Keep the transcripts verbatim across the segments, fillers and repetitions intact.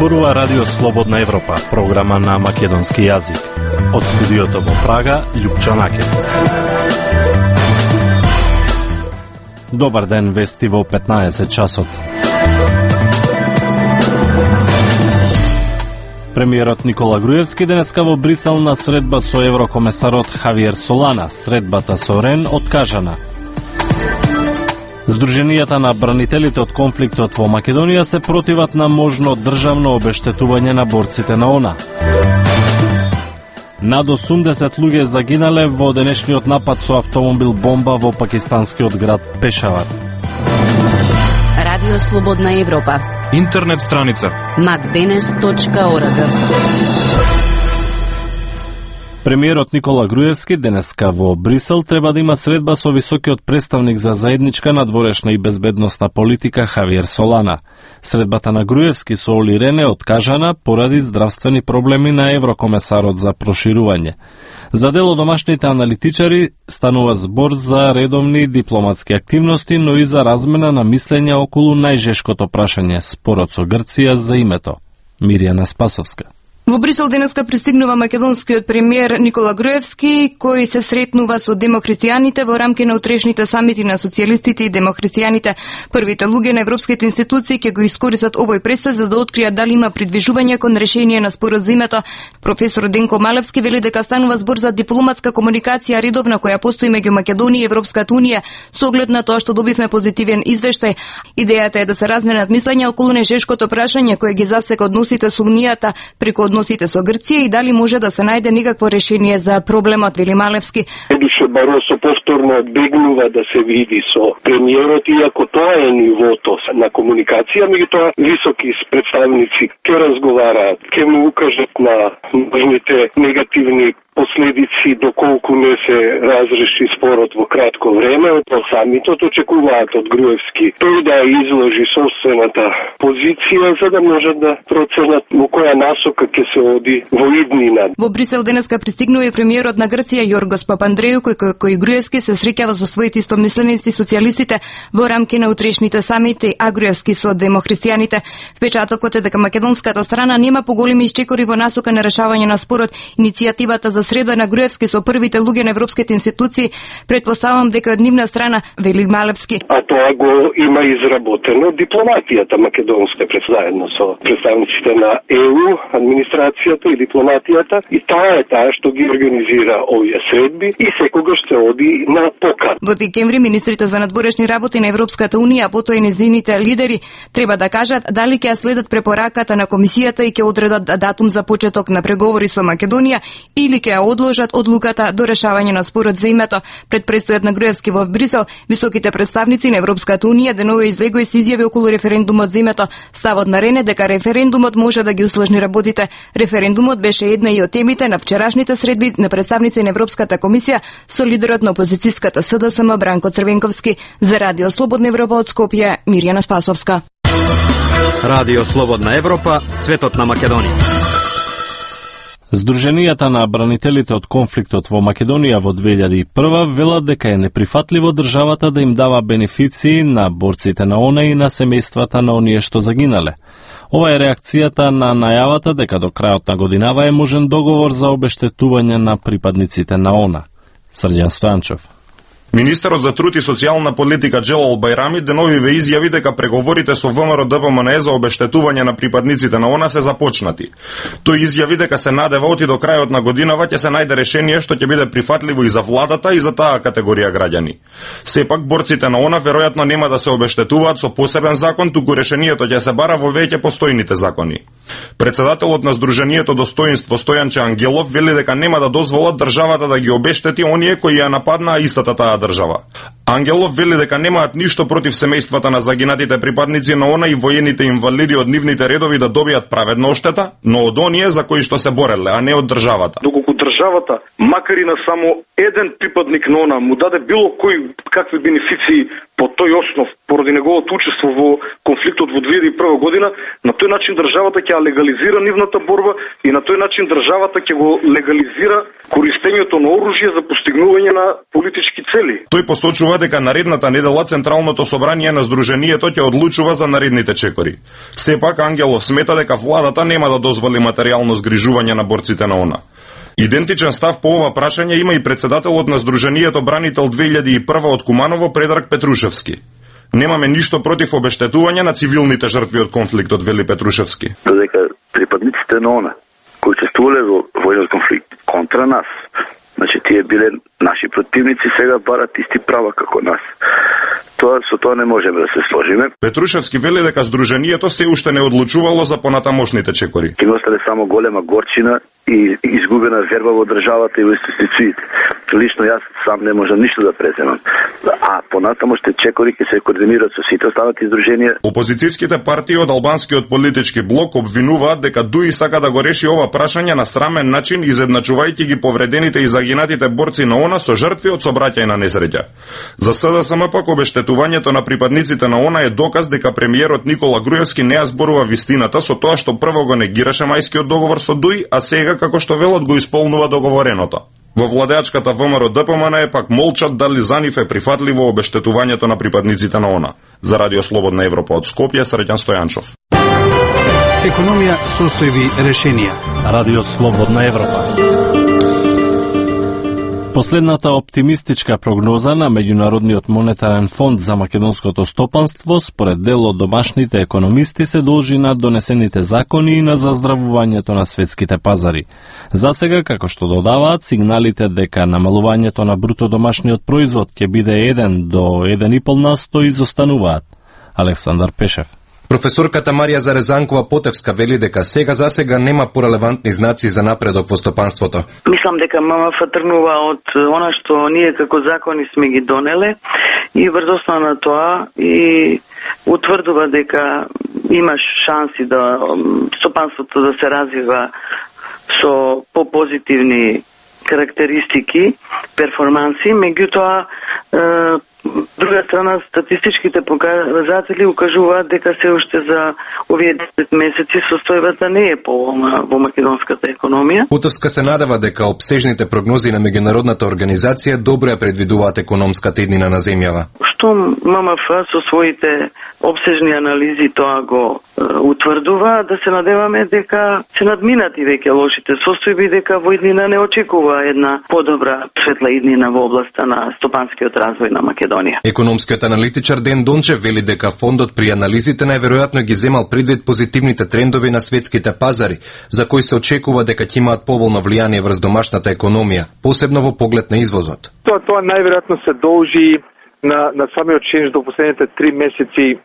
зборува Радио Слободна Европа, програма на македонски јазик. Од студиото во Прага, Љупчо Накев. Добар ден, вести во петнаесет часот. Премиерот Никола Груевски денеска во Брисел на средба со еврокомесарот Хавиер Солана. Средбата со Рен откажана. Здруженијата на бранителите од конфликтот во Македонија се противат на можно државно обештетување на борците на ОНА. Над осумдесет луѓе загинале во денешниот напад со автомобил бомба во пакистанскиот град Пешавар. Радио Слободна Европа. Интернет страница макденес точка орг. Премиерот Никола Груевски денеска во Брисел треба да има средба со високиот представник за заедничка надворешна и безбедносна политика Хавиер Солана. Средбата на Груевски со Оли Рен е откажана поради здравствени проблеми на еврокомесарот за проширување. За дел од домашните аналитичари станува збор за редовни дипломатски активности, но и за размена на мислења околу најжешкото прашање, спорот со Грција за името. Миријана Спасовска. Во Брисел денеска пристигнува македонскиот премиер Никола Груевски, кој се сретнува со демохристијаните во рамки на утрешните самити на социјалистите и демохристијаните. Првите луѓе на европските институции ќе го искористат овој престој за да откријат дали има придвижување кон решение на спорот за името. Професор Денко Малевски вели дека станува збор за дипломатска комуникација редовна која постои меѓу Македонија и Европската унија со оглед на тоа што добивме позитивен извештај. Идејата е да се разменат мислења околу нежешкото прашање кое ги засека односите со унијата преку односите со Грција и дали може да се најде никакво решение за проблемот, вели Малевски. Едуше Баросо повторно одбегнува да се види со премиерот, иако тоа е нивото на комуникација, меѓутоа високи представници ќе разговараат, ќе му укажат на можните негативни последици доколку не се разреши спорот во кратко време. Од самитот очекуваат од Груевски тој да изложи собствената позиција за да можат да проценат во која насока ќе се оди во иднина. Во Брисел денеска пристигнува и премиерот на Грција Јоргос Папандреју, кој кој Груевски се среќава со своите истомисленици социјалистите во рамки на утрешните самити, а Груевски со демохристијаните. Впечатокот е дека македонската страна нема поголеми исчекори во насока на решавање на спорот. Иницијативата за средба на Груевски со првите луѓе на европските институции, предпоставам дека од нивна страна, вели Малевски. А тоа го има изработено дипломатијата македонска заедно со представниците на ЕУ, администрацијата и дипломатијата, и таа е таа што ги организира овие средби и секогаш се оди на покана. Во декември министрите за надворешни работи на Европската унија, потоа и незините лидери, треба да кажат дали ќе следат препораката на комисијата и ќе одредат датум за почеток на преговори со Македонија или ќе одложат одлуката до решавање на спорот за името. Пред престојот на Груевски во Брисел, високите представници на Европската унија денове излегоа и се изјави околу референдумот за името. Ставот на Рен е дека референдумот може да ги усложни работите. Референдумот беше една и од темите на вчерашните средби на представници на Европската комисија со лидерот на опозицијската СДСМ Бранко Црвенковски. За Радио Слободна Европа од Скопје, Миријана Спасовска. Радио Слободна Европа, светот на Македонија. Здруженијата на бранителите од конфликтот во Македонија во две илјади и прва велат дека е неприфатливо државата да им дава бенефиции на борците на ОНА и на семејствата на оние што загинале. Ова е реакцијата на најавата дека до крајот на годинава е можен договор за обештетување на припадниците на ОНА. Срđan Стојанчев. Министерот за труд и социјална политика Джелал Бајрами денови ве изјави дека преговорите со ВМРО Д П М Н Е за обештетување на припадниците на ОНА се започнати. Тој изјави дека се надева оти до крајот на годинава ќе се најде решение што ќе биде прифатливо и за владата и за таа категорија граѓани. Сепак борците на ОНА веројатно нема да се обештетуваат со посебен закон, туку решението ќе се бара во веќе постојните закони. Председателот на Здруженијето Достоинство Стојанче Ангелов вели дека нема да дозволат државата да ги обештети оние кои ја нападнаа истата таа држава. Ангелов вели дека немаат ништо против семејствата на загинатите припадници на ОНА и воените инвалиди од нивните редови да добијат праведна оштета, но од оние за кои што се бореле, а не од државата. Доколку државата, макар и на само еден припадник на она, му даде било кој какви бенефиции по тој основ, поради неговото учество во конфликтот во две илјади и прва година, на тој начин државата ќе легализира нивната борба и на тој начин државата ќе го легализира користењето на оружје за постигнување на политички цели. Тој посочува дека наредната недела Централното собрание на Сдруженијето ќе одлучува за наредните чекори. Сепак Ангелов смета дека владата нема да дозволи материјално згрижување на борците на она. Идентичен став по ова прашање има и председателот на Сдруженијето Бранител две илјади и прва од Куманово Предраг Петрушевски. Немаме ништо против обештетување на цивилните жртви од конфликтот, вели Петрушевски. Додека припадниците на она кои учествувале во војниот конфликт контра нас, значи тие биле наши противници, сега барат исти права како нас. Тоа со тоа не можеме да се сложиме. Петрушевски вели дека Сдруженијето се уште не одлучувало за понатамошните чекори. Ќе остане само голема горчина и изгубена верба во државата и во институциите. Лично јас сам не можам ништо да преземам. А понатамошните чекори ќе се координираат со сите останати здруженија. Опозицијските партии од албанскиот политички блок обвинуваат дека ДУИ сака да го реши ова прашање на срамен начин, изедначувајќи ги повредените и загинатите борци на она со жртви од сообраќајна несреќа. За СДСМ пак обештетувањето на припадниците на она е доказ дека премиерот Никола Груевски не ја зборува вистината со тоа што прво го негираше мајскиот договор со ДУИ, а сега како што велат го исполнува договореното. Во владеачката ВМРО Д П М Н пак молчат дали за нив е прифатливо обештетувањето на припадниците на она. За Радио Слободна Европа од Скопје, Среќан Стојанчов. Економија, состојби, решенија. Радио Слободна Европа. Последната оптимистичка прогноза на Меѓународниот монетарен фонд за македонското стопанство според дел од домашните економисти се должи на донесените закони и на заздравувањето на светските пазари. Засега, како што додаваат, сигналите дека намалувањето на бруто домашниот производ ќе биде еден до еден и пол на сто изостануваат. Александар Пешев. Професорката Марија Зарезанкова Потевска вели дека сега засега нема порелевантни знаци за напредок во стопанството. Мислам дека М М Ф тргнува од она што ние како закони сме ги донеле и врз основа на тоа и утврдува дека има шанси да стопанството да се развива со попозитивни карактеристики, перформанси, меѓутоа друга страна, статистичките показатели укажуваат дека се уште за овие десет месеци состојбата не е поволна во македонската економија. Потовска се надева дека обсежните прогнози на меѓународната организација добро ја предвидуваат економската иднина на земјава. Што М М Ф со своите обсежни анализи тоа го е, утврдува, да се надеваме дека се надминати веќе лошите состојби, дека во иднина не очекува една подобра светла иднина во областа на стопанскиот развој на Македонија. Економскиот аналитичар Ден Дончев вели дека фондот при анализите најверојатно ги земал предвид позитивните трендови на светските пазари, за кои се очекува дека ќе имаат поволно влијание врз домашната економија, посебно во поглед на извозот. Тоа тоа најверојатно се должи на на самиот ченж до последните три месеци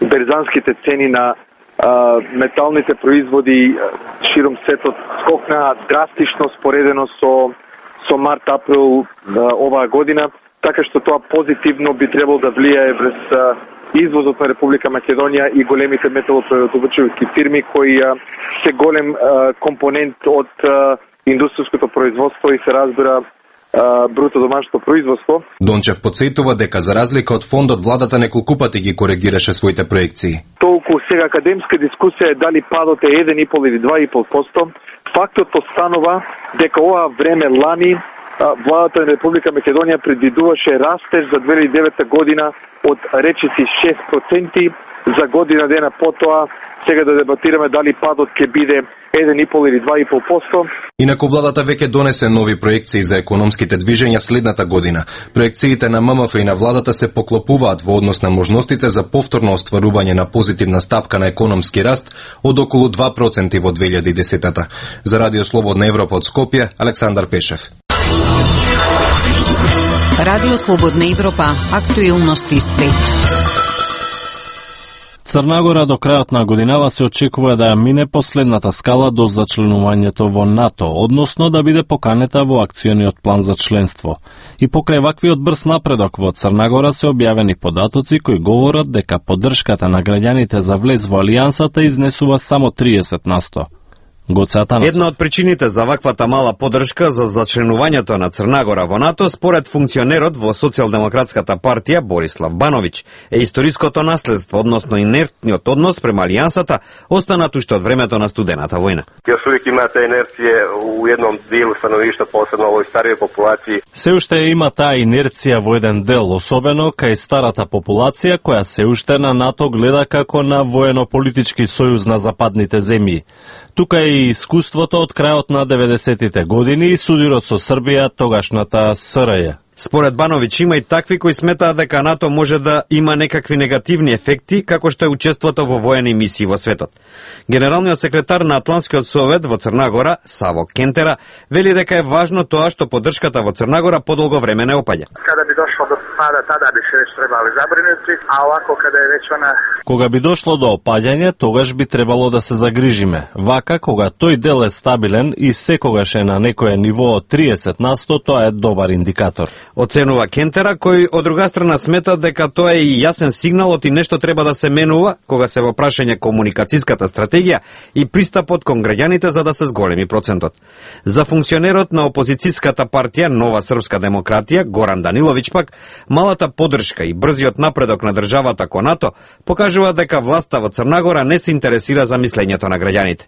берзанските цени на а, металните производи широм светот скокнаа драстично споредено со со март-април оваа година, така што тоа позитивно би требало да влијае врз извозот на Република Македонија и големите металопреработувачки фирми кои а, се голем а, компонент од а, индустријското производство и се разбира бруто домашното производство. Дончев подсетува дека за разлика од фондот владата неколку пати ги коригираше своите проекции. Толку сега академска дискусија е дали падот е еден и пол или два и пол проценти. Фактот останува дека оваа време лани владата на Република Македонија предвидуваше растеж за две илјади и девета година од речиси шест проценти, за година дена потоа сега да дебатираме дали падот ќе биде еден и пол или два и пол проценти. Инаку владата веќе донесе нови проекции за економските движења следната година. Проекциите на М М Ф и на владата се поклопуваат во однос на можностите за повторно остварување на позитивна стапка на економски раст од околу два проценти во две илјади и десета. За Радио Слободна Европа од Скопје, Александар Пешев. Радио Слободна Европа, актуелности свет. Црна Гора до крајот на годинава се очекува да ја мине последната скала до зачленувањето во НАТО, односно да биде поканета во акциониот план за членство. И покрај ваквиот брз напредок во Црна Гора се објавени податоци кои говорат дека поддршката на граѓаните за влез во алијансата изнесува само триесет на сто. Една од причините за ваквата мала поддршка за зачленувањето на Црна Гора во НАТО, според функционерот во Социјалдемократската партија Борислав Бановиќ, е историското наследство, односно инертниот однос према алијансата, останат уште од времето на студената војна. Још увек имате инерција у едном делу становишта, посебно овој старија популација. Се уште има таа инерција во еден дел, особено кај старата популација која се уште на НАТО гледа како на воено-политички сојуз на западните земји. Тука е и искуството од крајот на деветдесетите години и судирот со Србија, тогашната СРЈ. Според Бановиќ има и такви кои сметаат дека НАТО може да има некакви негативни ефекти, како што е учеството во воени мисии во светот. Генералниот секретар на Атлантскиот совет во Црна Гора, Саво Кентера, вели дека е важно тоа што поддршката во Црна Гора подолго време не опаѓа. Када би дошло до пада, тада би се веќе требали забринути, а овако када е веќе она... Кога би дошло до опаѓање, тогаш би требало да се загрижиме. Вака, кога тој дел е стабилен и секогаш е на некое ниво од триесет на сто, тоа е добар индикатор. Оценува Кентера, кој од друга страна смета дека тоа е и јасен сигнал оти нешто треба да се менува кога се во прашање комуникацијската стратегија и пристапот кон граѓаните за да се зголеми процентот. За функционерот на опозицијската партија Нова Српска демократија Горан Даниловиќ пак, малата поддршка и брзиот напредок на државата кон НАТО покажува дека власта во Црна Гора не се интересира за мислењето на граѓаните.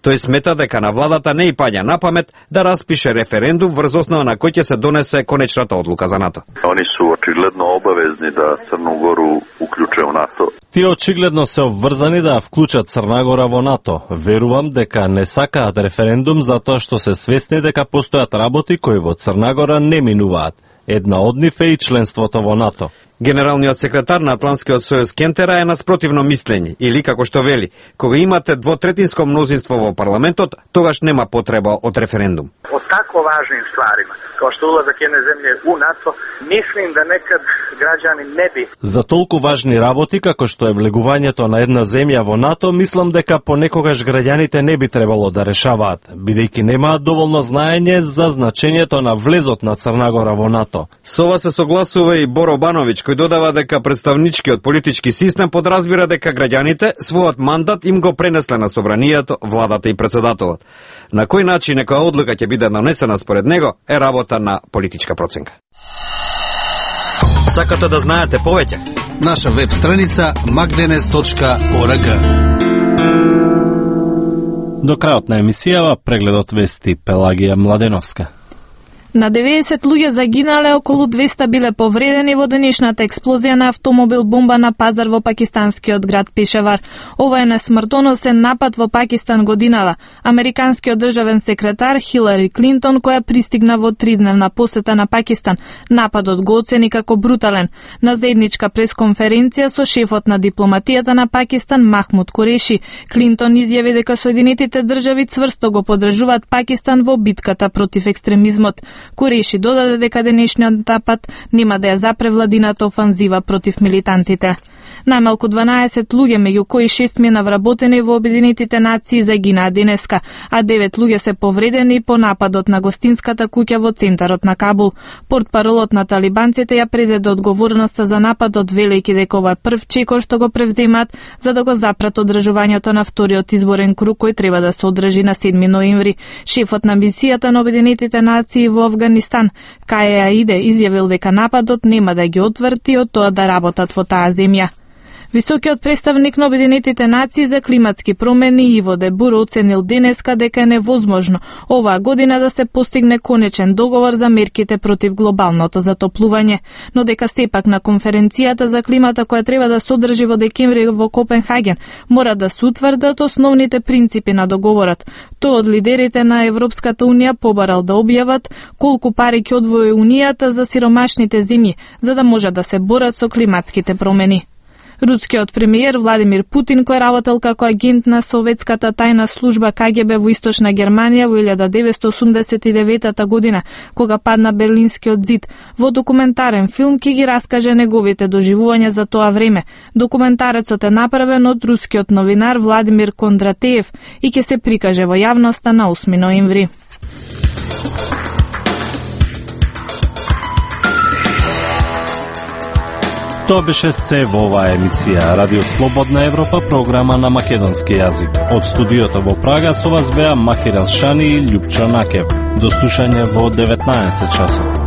Тој смета дека на владата не и паѓа на памет да распише референдум врз основа на кој ќе се донесе конечната одлука за НАТО. Они су очигледно обавезни да Црну Гору уклуче во НАТО. Тие очигледно се обврзани да вклучат Црна Гора во НАТО. Верувам дека не сакаат референдум затоа што се свесни дека постојат работи кои во Црна Гора не минуваат. Една од нив е и членството во НАТО. Генералниот секретар на Атлантскиот сојуз Кентера е на спротивно мислење, или како што вели, кога имате двотретинско мнозинство во парламентот, тогаш нема потреба од референдум. Од тако важним стварима, како што улазак едне земје у НАТО, мислим да некад граѓани не би. За толку важни работи како што е влегувањето на една земја во НАТО, мислам дека понекогаш граѓаните не би требало да решаваат, бидејќи немаат доволно знаење за значењето на влезот на Црна Гора во НАТО. Со ова се согласува и Боро Бановиќ, кој додава дека представничкиот политички систем подразбира дека граѓаните својот мандат им го пренесле на собранието, владата и председателот. На кој начин некоја одлука ќе биде донесена според него е работа на политичка проценка. Сакате да знаете повеќе? Наша веб страница magdenes точка org. До крајот на емисијава прегледот вести Пелагија Младеновска. На деветдесет луѓе загинале, околу двеста биле повредени во денешната експлозија на автомобил бомба на пазар во пакистанскиот град Пешавар. Ова е несмртоносен напад во Пакистан годинава. Американскиот државен секретар Хилари Клинтон, која пристигна во тридневна посета на Пакистан, нападот го оцени како брутален. На заедничка пресконференција со шефот на дипломатијата на Пакистан Махмуд Куреши, Клинтон изјави дека Соединетите држави цврсто го поддржуваат Пакистан во битката против екстремизмот. Куреши додаде дека денешниот напад нема да ја запре владината офанзива против милитантите. Најмалку дванаесет луѓе, меѓу кои шест мина вработени во Обединетите нации, загинаа денеска, а девет луѓе се повредени по нападот на гостинската куќа во центарот на Кабул. Портпаролот на талибанците ја презеде одговорноста за нападот, велејќи дека ова е прв чекор што го превземаат за да го запрат одржувањето на вториот изборен круг кој треба да се одржи на седми ноември. Шефот на мисијата на Обединетите нации во Авганистан, Каја Аиде, изјавил дека нападот нема да ги отврти од тоа да работат во таа земја. Високиот представник на Обединетите нации за климатски промени Иво Дебур оценил денеска дека е невозможно оваа година да се постигне конечен договор за мерките против глобалното затоплување, но дека сепак на конференцијата за климата која треба да се одржи во декември во Копенхаген мора да се утврдат основните принципи на договорот. Тој од лидерите на Европската унија побарал да објават колку пари ќе одвои унијата за сиромашните земји за да може да се борат со климатските промени. Рускиот премиер Владимир Путин, кој работел како агент на советската тајна служба Ка Ге Бе во Источна Германија во илјада деветстотини осумдесет и девета година, кога падна Берлинскиот зид, во документарен филм ќе ги раскаже неговите доживувања за тоа време. Документарецот е направен од рускиот новинар Владимир Кондратеев и ќе се прикаже во јавноста на осми ноември. Тоа беше се во оваа емисија Радио Слободна Европа, програма на македонски јазик. Од студиото во Прага со вас беа Махир Елшани и Љупчо Накев. До слушање во деветнаесет часот.